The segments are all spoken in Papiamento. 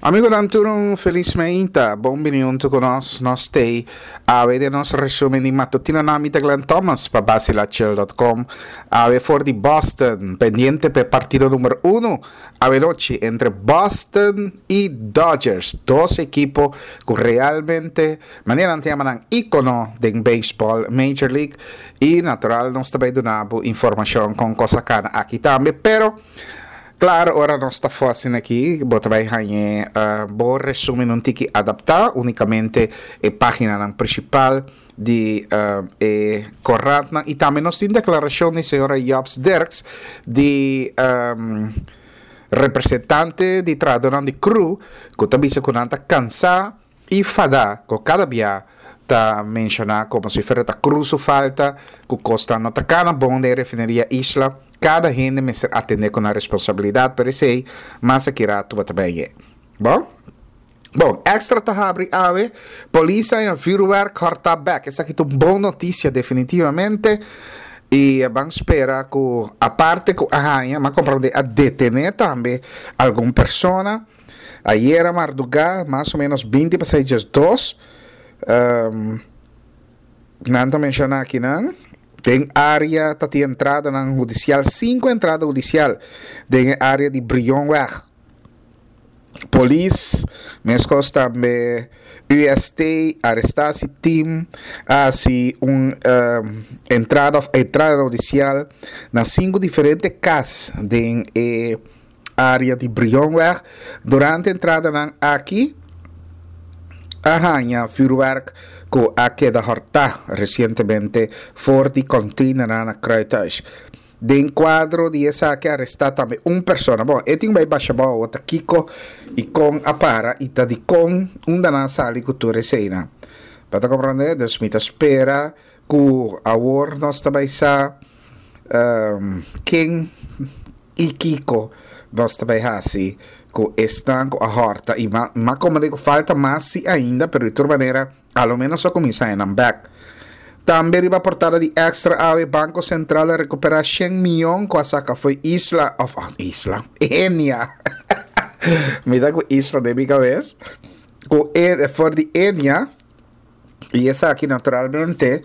Amigonan tur un felis meinta, bon bini hunto cu nos, nos t'ey awe den nos resumen di matutino na mi ta Glenn Thomas pa Basilachel.com awe for di Boston, pendiente p'e partido number uno awe nochi entre Boston y Dodgers, dos ekipo cu realmente manera nan ta yama nan icono den baseball Major League y natural nos ta bay duna bo informacion con cos a cana aki tambe pero Claro, ora nos ta for asina aki, bo ta bai hañ'e bo resumen un tiki adaptá, únicamente e páginanan principal di e korantnan. I tambe nos tin declaracion di señora Jobs Dirks, di representante di trahadornan di cru, cu ta bisa cu nan ta cansá I fada ku kada bia ta menshoná komo si fuera ta krus su falta, ku kosnan no ta kana bon den refineria Isla, kada hende mester atendé ku nan responsabilidat, pero esei mas aki ratu bo ta bai ye. Bon? Bon, Extra ta habri awe, polis a haña vuurwerk hòrtá bèk. Esaki ta un bon notisia definitivamente i ban spera ku aparte ku a haña, m'a komprondé a detené tambe algun persona. Ayera mardugá, mas o menos binti pa seis diesdos, nan ta menshoná akinan, den área ta tin entradanan hudisial, sinku entrada hudisial den e área di Brionweg. Polis, meskos tambe UST, arestasi team a hasi un entrada òf entrada hudisial na sinku diferente kas den e Área di Brionweg. Durante entradanan aki a haña vuurwerk ku a keda hòrtá resientemente for di kònteinernan na Kruithuis. Den kuadro di esaki a arestá tambe un persona. Bon, e tin bai basha bou awor ta kiko i kon a para i ta dikon unda nan a sali ku tur eseinan. Bo ta komprondé? Dus mi ta spera ku awor nos ta bai sa ken. I kiko nos ta bai hasi ku esnan ku a hòrta? I m'a komprendé ku falta mas si ainda, pero di tur manera a lo ménos a kuminsá haña nan bèk. Tambe riba portada di Extra awe Banko Sentral a rekuperá shen mion ku a saka fo'i Isla òf Isla, Enia. Mi ta ku Isla den mi kabes. Ku for di Enia. Y esaki naturalmente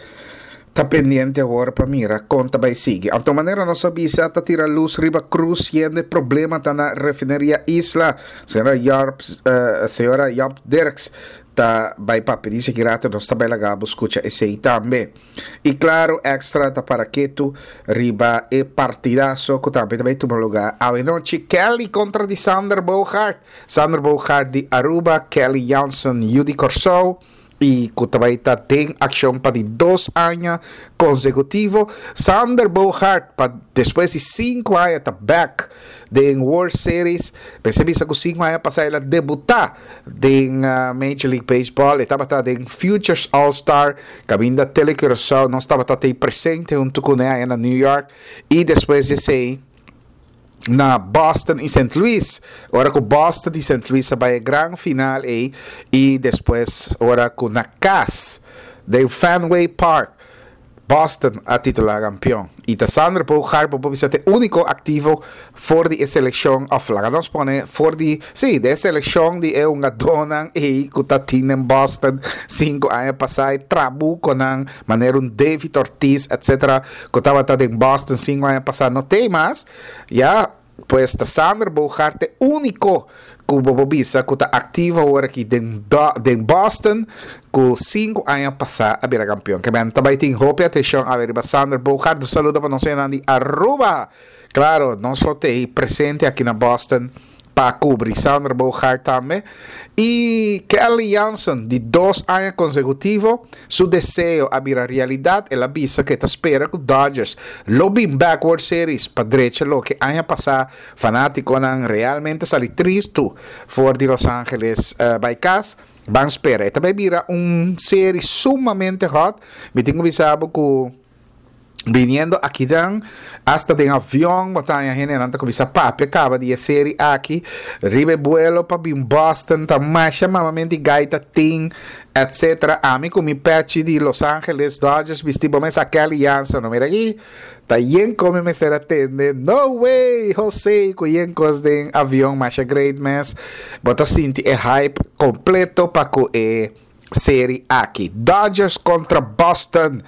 ta pendiente awor pa mira con ta bay sigui. Anto manera nos a bisa ta tira luz riba cruz yendo e problema ta na refineria Isla. Señora Jorp, eh, señora Job Dirks ta bay papia dice ki rato nos ta bay laga bo scucha esey tambe. Y claro extra ta para ketu riba e partidazo cu tambe ta bay tuma lugar awe nochi. Kelly contra di Sander Bogaert. Sander Bogaert di Aruba, Kelly Jansen yu di Kòrsou i ku ta bai ta den akshon pa di dos aña konsekutivo. Sander Bogaert pa despues di sinku aña ta bèk den World Series. Mester bisa ku sinku aña pasá el a debutá den Major League Baseball. E tabata den Futures All Star kaminda Tele Curaçao nos tabata tei presente huntu kuné aña na New York i despues di esei na Boston y Saint Louis. Ora cu Boston y Saint Louis a bay e gran final ey y despues ora cu na cas den Fenway Park Boston a titula campeon. Y ta Sander Bogaerts bo por bisa ta e unico activo for di e seleccion of laga nos pone for di si di e seleccion di e hungadornan ey cu ta tin den Boston cinco aña pasa e trabuconan manera un David Ortiz etc. Cu tabata den Boston cinco aña pasa no t'ey mas, ya, pues ta Sander Bogaert t'e unico cu bo por bisa cu ta activo awor aki den den Boston cu cinco aña pasa a bira campeon. Ke men ta bay tin hopi atencion awe riba Sander Bogaert. Un saludo pa nos hendenan di Aruba! Claro, nos lo t'ey presente aki na Boston pa cubri Sander Bogaert tambe. Y Kelly Jansen, di dos aña consecutivo, su deseo a bira realidad. El a bisa cu e ta spera cu Dodgers lo bin back World Series pa drecha loke aña pasa fanaticonan realmente sali tristo for di Los Angeles bay cas. Ban spera. E ta bay bira un serie sumamente hot. Mi tin cu bisa bo cu. Biniendo akinan, hasta den avion bo ta haña hendenan ta kuminsá papia kaba di e seri aki. Riba e buelo pa bin Boston ta masha mamamenti gaita tin, etcetera. Ami ku mi pechi di Los Angeles Dodgers bisti bo mes a Kelly Jansen no mira aki. Ta yen kon mi mester a tende no way Jose ku yen kos den avion masha great mes. Bo ta sinti e hype kompleto pa ku e seri aki. Dodgers kontra Boston.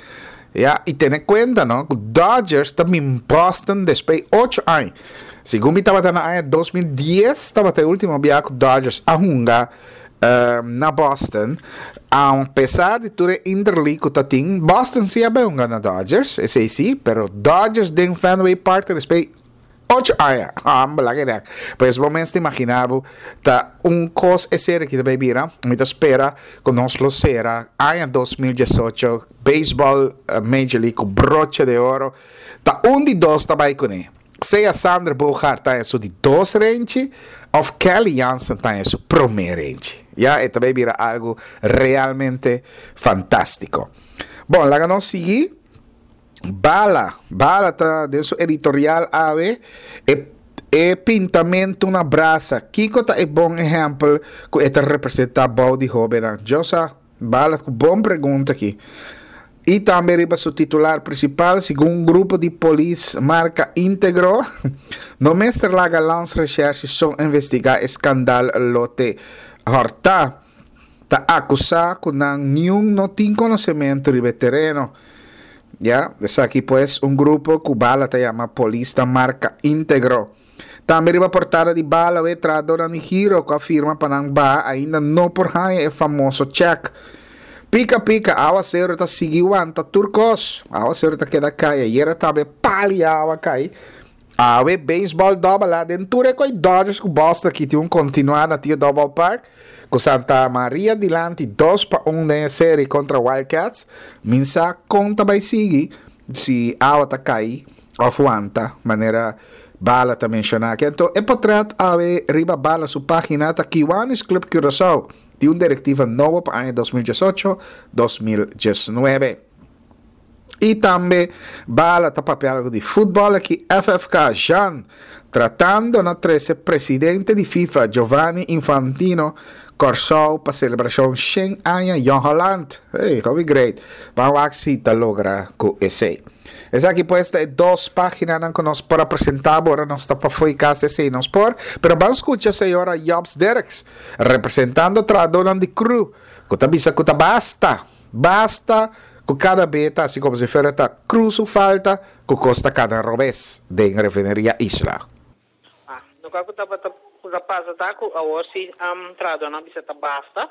Ya, i tene kuenta no ku Dodgers ta bin Boston despues ocho aña. Segun mi tabata na aña 2010 tabata e último bia ku Dodgers a hunga na Boston. A pesar di tur e interleague ku ta tin, Boston si a bai hunga na Dodgers, esei si, pero Dodgers den Fenway Park ta despues Ocho aña, hambel a keda. Pues bo mes ta imagina bo ta un kos e seri ki ta bay bira. Mi ta spera ku nos lo sera aña 2018 baseball Major League ku broche de oro. Ta un di dos ta bay kuné. Sea Sander Bogaert ta haña su di dos renchi of Kelly Jansen ta haña su promé renchi. Ya e ta bay bira algu realmente fantástiko. Bon, laga nos sigui. Bala, Bala ta den su editorial awe, e e pintamentu na brasa, kiko ta e bon ehèmpel ku e ta representá bou di hóbennan? Djosa, Bala ku bon pregunta aki. I tambe riba su titular prinsipal, segun un grupo di polis marka Integro, no mester laga Landsrecherche so investigá e skandal lote hòrtá. Ta akusá ku nan niun no tin konosementu riba e tereno. Ya, esaki pues un grupo ku Bala ta yama Polis ta Marka Integro. Tambe riba portada di Bala we trahadornan di Giro ku a firma pa nan baha ainda no por haña e famoso chèk. Pika pika, awaseru ta sigui wanta tur kos. Awaseru ta keda kai, ayera tambe pali awa kai. Awe beisbòl dòbel A den tur e koi Dodgers ku Boston aki tin un kontinuá na Tio Dòbel Park ku Santa Maria dilanti 2-1 den e seri kontra Wild Cats. Min sa kon ta bai sigui si awa ta kai òf wanta manera Bala ta menshoná aki. Anto e potrèt awe riba Bala su página ta Kiwanis Club Curaçao tin un direktiva nobo pa aña 2018, 2019. I tambe Bala ta papia algo di futbol aki FFK Jean tratando na trece presidente di FIFA Giovanni Infantino Kòrsou pa selebrashon shen aña Jong Holland. Hey, hopi great. Ban wak si ta logra ku esei. Esaki pues ta e dos paginanan ku nos por a presenta bo ora nos ta pafó i kas esei nos por. Pero ban skucha señora Jobs Derks representando trahadónan di cru ku ta bisa ku ta basta. Basta ku kada be ta hasi komo si fuera ta Cruz su falta ku kos ta kana robes den Refineria Isla. Ah, loke ku tabata ku ta pasa ta ku awor si trahadornan bisa ta basta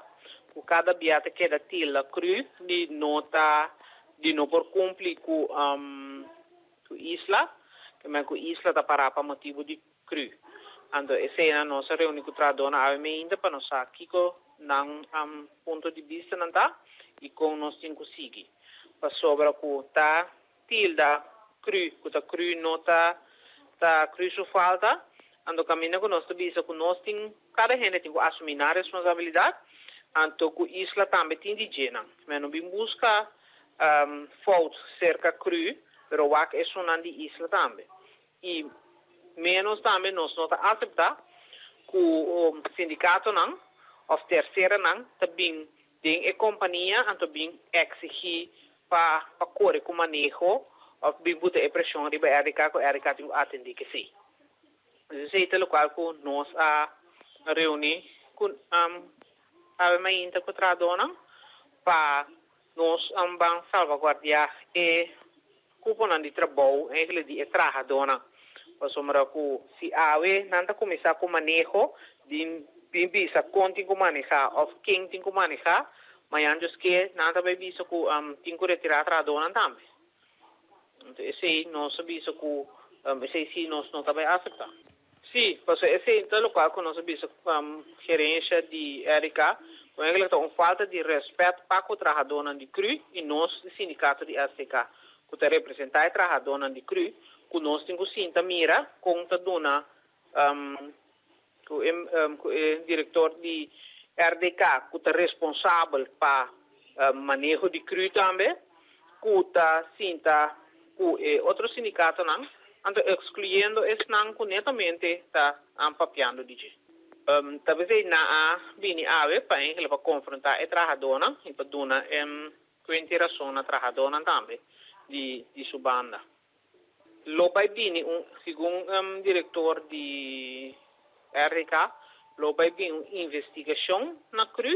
ku kada bia ta keda tilda Cruz di no ta di no por kumpli ku ku Isla, ke men ku Isla ta pará pa motibu di Cru. Anto eseinan nos a reuni cu trahadornan awe meinta pa nos sa kico nan punto di bista nan ta y con nos tin cu sigui. Pasobra cu ta tilda cru cu ta cru no ta ta cru su falta, anto caminda cu nos ta bisa cu nos tin cada hende tin cu asumi nan responsabilidad, anto cu Isla tambe tin di dje nan. Men no bin busca fout cerca cru, pero wak esunnan di Isla tambe. I ménos tambe nos no ta aseptá ku sindikatonan òf terseranan ta bin den e kompania anto bin eksigí pa pa kore ku maneho òf bin buta e preshon riba RDK ku RDK tin ku atendé kesei. Esei ta lokual ku nos a reuní ku awe mainta ku trahadónan pa nos ban salvaguardiá e Kuponan di trabou enkele di e trahadónan, pasobra ku si awe nan ta kuminsá ku maneho di bin bisa kon tin ku manehá òf ken tin ku manehá, mañan Dios ke nan ta bai bisa ku tin ku retirá trahadónan tambe. Entonces esei nos a bisa ku esei sí nos no ta bai aseptá. Sí, pasobra esei ta lokual ku nos a bisa gerensha di RK, ku eigenlijk ta un falta di rèspèt pa ku trahadónan di cru i nos di sindikato di STK ku ta representá e trahadónan di cru, ku nos tin ku sinta mira kon ta duna ku e ku e direktor di RDK ku ta responsabel pa maneho di cru tambe ku ta sinta. ku e otro sindikatonan, anto ekskluyendo esnan ku netamente ta papiando di dje. Ta p'esei nan a bini awe pa enkele pa konfrontá e trahadónan i pa duna kuenta i rason na trahadónan tambe di di su banda. Lo bai bini un, segun direktor di RDK, lo bai bini un investigashon na cru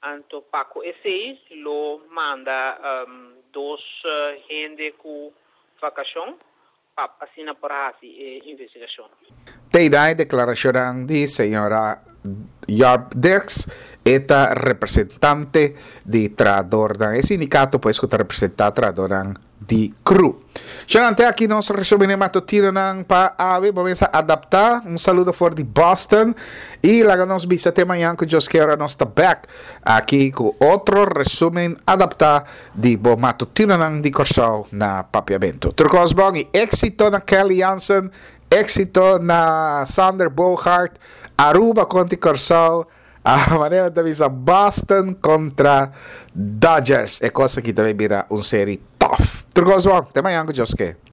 Anto pa ku esei lo manda dos hende ku vakashon pa asina por hasi e investigashon. Teinan e deklarashonnan di señora Job Dirks, e ta representante di trahadornan, e sindikato pues ku ta representá trahadornan di cru. Shanan, te aki nos resumen e matutinonan pa awe. Bo mester adapta. Un saludo for di Boston. Y laga nos bisa te mañan cu Dios kier ora nos ta back aki cu otro resumen adapta di bo matutinonan di Corsou na Papiamento. Tur cos bon y exito na Kelly Jansen, exito na Sander Bogaert, Aruba contra Corsou. A manera ta bisa Boston contra Dodgers. E cosa aki ta bay bira un serie tough. Tur cos bon. Te mañan cu Dios ke.